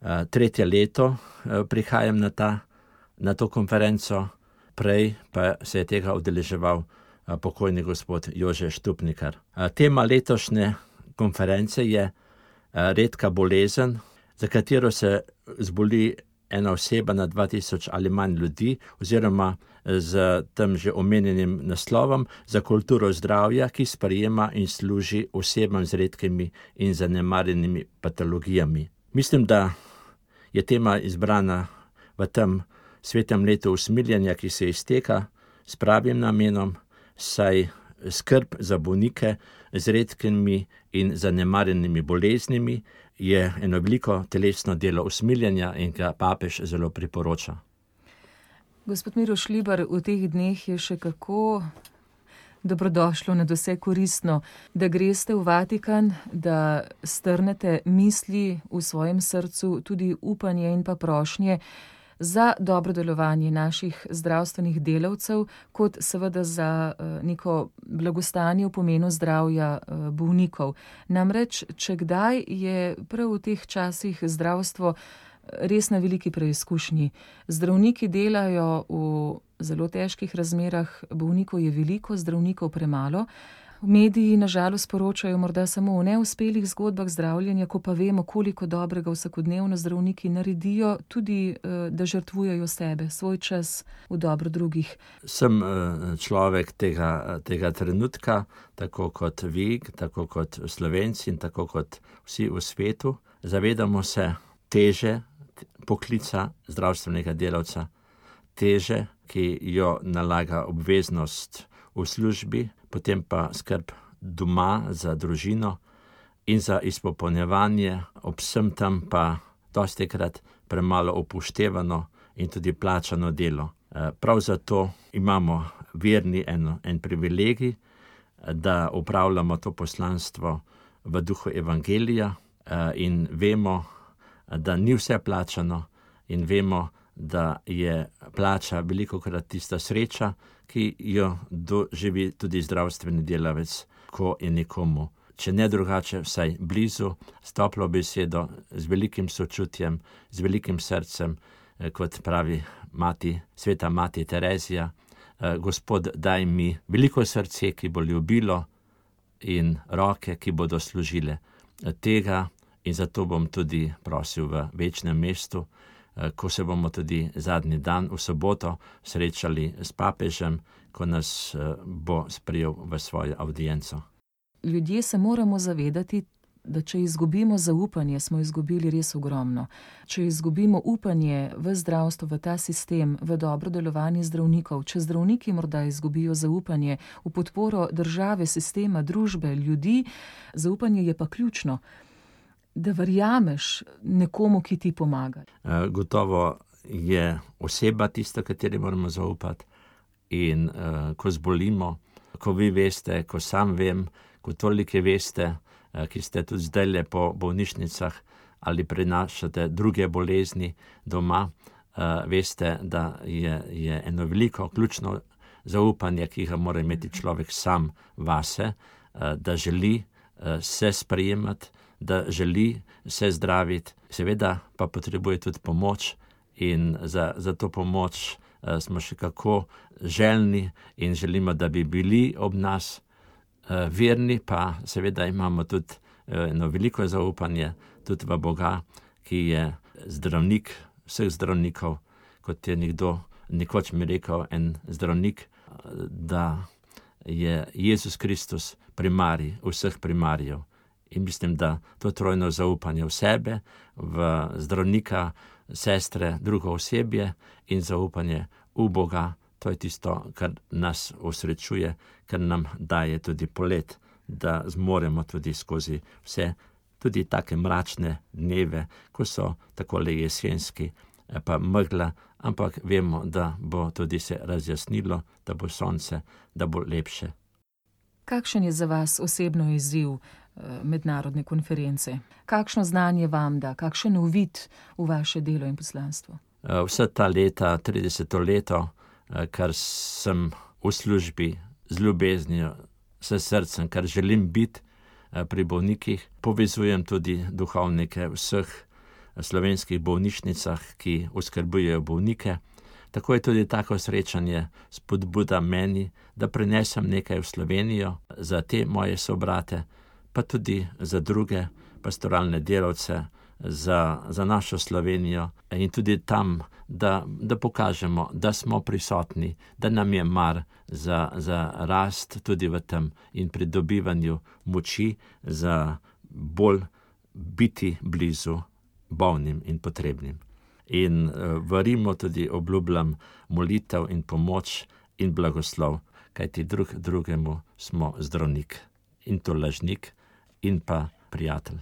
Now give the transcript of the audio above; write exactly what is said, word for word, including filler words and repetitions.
Tretje leto prihajam na, ta, na to konferenco, prej pa se je tega udeleževal pokojni gospod Jože Štupnikar. Tema letošnje konference je redka bolezen, za katero se zboli ena oseba na dva tisoč ali manj ljudi, oziroma z tem že omenjenim naslovom za kulturo zdravja, ki sprejema in služi osebam z redkimi in zanemarjenimi patologijami. Mislim, da je tema izbrana v tem svetem letu usmiljenja, ki se izteka s pravim namenom, saj skrb za bolnike z redkimi in zanemarjenimi boleznimi je eno veliko telesno delo usmiljenja in ga papež zelo priporoča. Gospod Miro Šlibar, v teh dneh je še kako dobrodošlo, nadvse koristno, da greste v Vatikan, da strnete misli v svojem srcu, tudi upanje in pa prošnje za dobro delovanje naših zdravstvenih delavcev, kot seveda za neko blagostanje v pomenu zdravja bolnikov. Namreč, če kdaj je prav v teh časih zdravstvo res na veliki preizkušnji. Zdravniki delajo v zelo težkih razmerah, bolnikov je veliko, zdravnikov premalo. Mediji na žalost poročajo morda samo o neuspelih zgodbah zdravljenja, ko pa vemo, koliko dobrega vsakodnevno zdravniki naredijo, tudi da žrtvujejo sebe, svoj čas v dobro drugih. Sem človek tega, tega trenutka, tako kot vi, tako kot Slovenci in tako kot vsi v svetu. Zavedamo se teže poklica zdravstvenega delavca, teže, ki jo nalaga obveznost v službi, potem pa skrb doma za družino in za izpopolnjevanje, ob vsem tam pa dostikrat premalo upoštevano in tudi plačano delo. Prav zato imamo verni en, en privilegij, da upravljamo to poslanstvo v duhu evangelija in vemo, da ni vse plačano in vemo, da je plača velikokrat tista sreča, ki jo doživi tudi zdravstveni delavec, ko je nekomu, če ne drugače, vsaj blizu, s toplo besedo, z velikim sočutjem, z velikim srcem, kot pravi mati, sveta mati Terezija, Gospod, daj mi veliko srce, ki bo ljubilo, in roke, ki bodo služile tega, in zato bom tudi prosil v večnem mestu, ko se bomo tudi zadnji dan v soboto srečali s papežem, ko nas bo sprejel v svojo avdienco. Ljudje se moramo zavedati, da če izgubimo zaupanje, smo izgubili res ogromno. Če izgubimo upanje v zdravstvo, v ta sistem, v dobro delovanje zdravnikov, če zdravniki morda izgubijo zaupanje v podporo države, sistema, družbe, ljudi, zaupanje je pa ključno. Da verjameš nekomu, ki ti pomaga. Gotovo je oseba tista, kateri moramo zaupati, in uh, ko zbolimo, ko vi veste, ko sam vem, ko tolike veste, uh, ki ste tudi zdajle po bolnišnicah ali prenašate druge bolezni doma, uh, veste, da je, je eno veliko ključno zaupanje, ki ga mora imeti človek sam vase, uh, da želi uh, se sprejemati, da želi se zdraviti, seveda pa potrebuje tudi pomoč in za, za to pomoč uh, smo še kako željni in želimo, da bi bili ob nas uh, verni, pa seveda imamo tudi uh, eno veliko zaupanje tudi v Boga, ki je zdravnik vseh zdravnikov, kot je nekdo nekoč mi rekel, en zdravnik, uh, da je Jezus Kristus primarij vseh primarijev. In mislim, da to trojno zaupanje v sebe, v zdravnika, sestre, drugo osebje in zaupanje v Boga, to je tisto, kar nas osrečuje, kar nam daje tudi polet, da zmoremo tudi skozi vse, tudi take mračne dneve, ko so takole jesenski, pa megla, ampak vemo, da bo tudi se razjasnilo, da bo sonce, da bo lepše. Kakšen je za vas osebno izziv mednarodne konference? Kakšno znanje vam da, kakšen uvid v vaše delo in poslanstvo? Vsa ta leta, trideseto leto, kar sem v službi z ljubeznijo, s srcem, kar želim biti pri bolnikih, povezujem tudi duhovnike vseh slovenskih bolnišnicah, ki oskrbujejo bolnike. Tako je tudi tako srečanje spodbuda meni, da prinesem nekaj v Slovenijo za te moje sobrate, pa tudi za druge pastoralne delavce, za, za našo Slovenijo in tudi tam, da, da pokažemo, da smo prisotni, da nam je mar za, za rast tudi v tem in pridobivanju moči za bolj biti blizu bolnim in potrebnim. In v Rimu tudi obljubljam molitev in pomoč in blagoslov, kajti drug drugemu smo zdravnik in tolažnik in pa prijatelj.